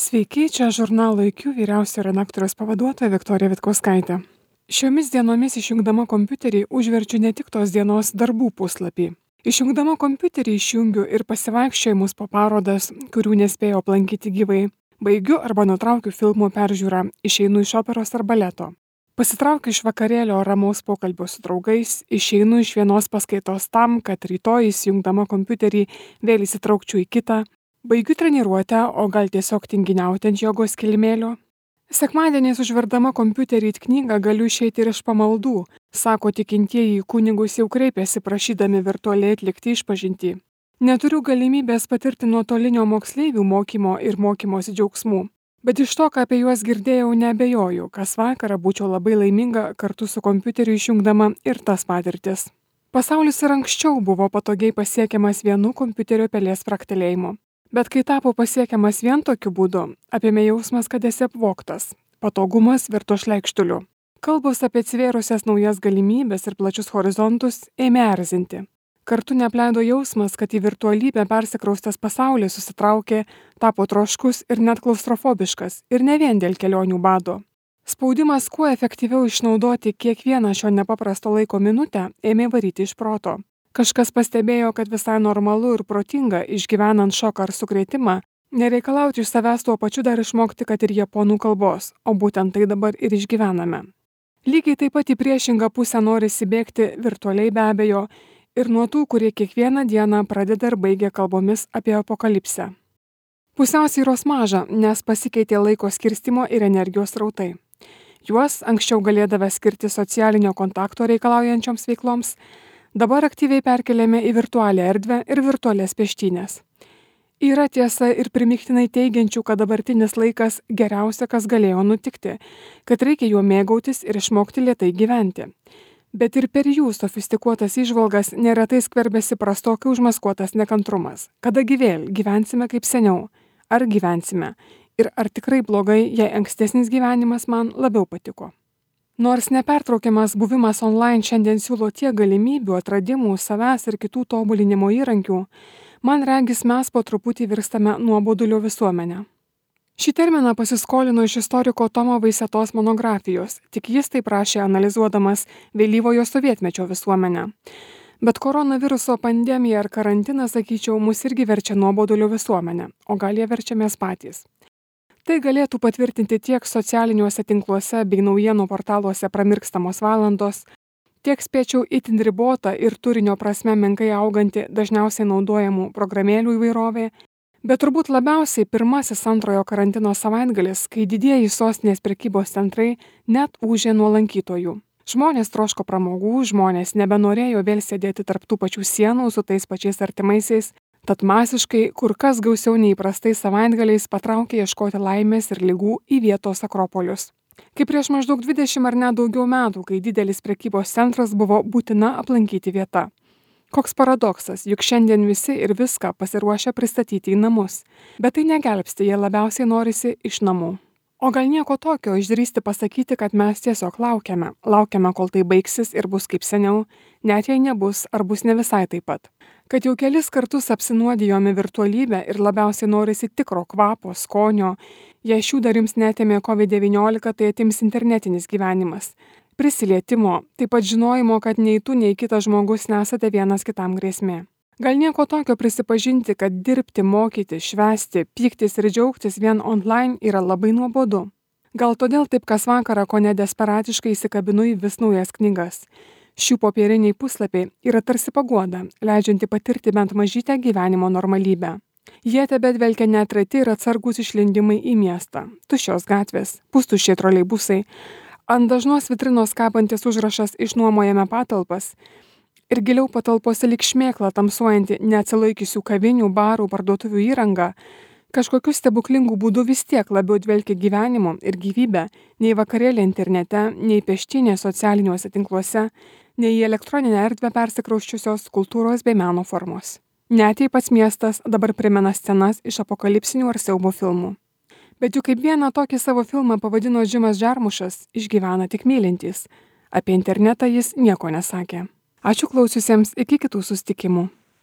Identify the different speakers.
Speaker 1: Sveiki, čia žurnalo IQ vyriausiojo redaktoriaus pavaduotoja Viktorija Vitkauskaitė. Šiomis dienomis išjungdama kompiuterį užverčiu ne tik tos dienos darbų puslapį. Išjungdama kompiuterį išjungiu ir pasivaikščiojimus po parodas, kurių nespėjau aplankyti gyvai. Baigiu arba nutraukiu filmų peržiūrą, išeinu iš operos ar baleto. Pasitraukiu iš vakarėlio ramaus pokalbio su draugais, išeinu iš vienos paskaitos tam, kad rytoj įsijungdama kompiuterį vėl įsitraukčiau į kitą. Baigiu treniruotę, o gal tiesiog tinginiauti ant jogos kilimėlio. Sekmadieniais užverdama kompiuterį į knygą galiu išeiti ir iš pamaldų, sako tikintieji į kunigus jau kreipiasi prašydami virtualiai atlikti išpažintį. Neturiu galimybės patirti nuotolinio moksleivių mokymo ir mokymosi džiaugsmų, bet iš to, ką apie juos girdėjau, neabejoju, kas vakarą būčiau labai laiminga kartu su kompiuteriu išjungdama ir tas patirtis. Pasaulis ir anksčiau buvo patogiai pasiekiamas vienu kompiuterio pelės fraktelėjimu. Bet kai tapo pasiekiamas vien tokiu būdu, apėmė jausmas, kad esi apvogtas. Patogumas virto šleikštuliu. Kalbos apie atsivėrusias naujas galimybės ir plačius horizontus ėmė erzinti. Kartu neapleido jausmas, kad į virtualybę persikraustęs pasaulis susitraukė, tapo troškus ir net klaustrofobiškas, ir ne vien dėl kelionių bado. Spaudimas kuo efektyviau išnaudoti kiekvieną šio nepaprasto laiko minutę ėmė varyti iš proto. Kažkas pastebėjo, kad visai normalu ir protinga, išgyvenant šoką ar sukrėtimą, nereikalauti iš savęs tuo pačiu dar išmokti, kad ir japonų kalbos, o būtent tai dabar ir išgyvename. Lygiai taip pat į priešingą pusę norisi bėgti virtualiai be abejo ir nuo tų, kurie kiekvieną dieną pradeda ir baigia kalbomis apie apokalipsę. Pusiausvyros maža, nes pasikeitė laiko skirstimo ir energijos srautai. Juos anksčiau galėdavę skirti socialinio kontakto reikalaujančioms veikloms, dabar aktyviai perkeliame į virtualią erdvę ir virtualias peštynės. Yra tiesa ir primygtinai teigiančių, kad dabartinis laikas geriausia, kas galėjo nutikti, kad reikia juo mėgautis ir išmokti lėtai gyventi. Bet ir per jų sofistikuotas įžvalgas neretai skverbiasi prastokai užmaskuotas nekantrumas. Kadagi vėl gyvensime kaip seniau? Ar gyvensime? Ir ar tikrai blogai, jei ankstesnis gyvenimas man labiau patiko? Nors nepertraukiamas buvimas online šiandien siūlo tiek galimybių, atradimų, savęs ir kitų tobulinimo įrankių, man regis mes po truputį virstame nuobodulio visuomenę. Šį terminą pasiskolino iš istoriko Tomo Vaisetos monografijos, tik jis tai prašė analizuodamas vėlyvojo sovietmečio visuomenę. Bet koronaviruso pandemija ar karantinas, sakyčiau, mus irgi verčia nuobodulio visuomenę, o gal jie verčiamės patys. Tai galėtų patvirtinti tiek socialiniuose tinkluose bei naujienų portaluose pramirkstamos valandos, tiek spėčiau itin ribota ir turinio prasme menkai auganti dažniausiai naudojamų programėlių įvairovė, bet turbūt labiausiai pirmasis antrojo karantino savaitgalis, kai didieji sostinės prekybos centrai net ūžė nuo lankytojų. Žmonės troško pramogų, žmonės nebenorėjo vėl sėdėti tarp tų pačių sienų su tais pačiais artimaisiais, tad masiškai, kur kas gausiau neįprastai savaitgaliais patraukė ieškoti laimės ir ligų į vietos akropolius. Kaip prieš maždaug 20 ar net daugiau metų, kai didelis prekybos centras buvo būtina aplankyti vieta. Koks paradoksas, juk šiandien visi ir viską pasiruošę pristatyti į namus, bet tai negelbsti, jie labiausiai norisi iš namų. O gal nieko tokio išdrįsti pasakyti, kad mes tiesiog laukiame, kol tai baigsis ir bus kaip seniau, net jei nebus ar bus ne visai taip pat. Kad jau kelis kartus apsinuodijome virtualybę ir labiausiai norisi tikro kvapo, skonio, jei šių dar jums netėmė COVID-19, tai atims internetinis gyvenimas. Prisilietimo, taip pat žinojimo, kad nei tu, nei kitas žmogus nesate vienas kitam grėsmė. Gal nieko tokio prisipažinti, kad dirbti, mokyti, švęsti, pyktis ir džiaugtis vien online yra labai nuobodu. Gal todėl taip kas vakarą kone desperatiškai įsikabinu į vis naujas knygas. Šių popieriniai puslapiai yra tarsi paguoda, leidžianti patirti bent mažytę gyvenimo normalybę. Jie tebedvelkia neatrati ir atsargus išlindimai į miestą. Tuščios gatvės, pustuščiai troleibusai, ant dažnos vitrinos kabantis užrašas išnuomojame patalpas ir giliau patalpose lyg šmėkla tamsuojanti neatsilaikiusių kavinių, barų, parduotuvių įranga, kažkokiu stebuklingu būdu vis tiek labiau dvelkia gyvenimu ir gyvybę nei vakarėlė internete, nei peštynė socialiniuose tinkluose, nei į elektroninę erdvę persikrausčiusios kultūros bei meno formos. Net jei pats miestas dabar primena scenas iš apokalipsinių ar siaubo filmų. Bet juk kaip vieną tokį savo filmą pavadino Džimas Džarmušas, išgyvena tik mylintys. Apie internetą jis nieko nesakė. Ačiū klausiusiems, iki kitų susitikimų.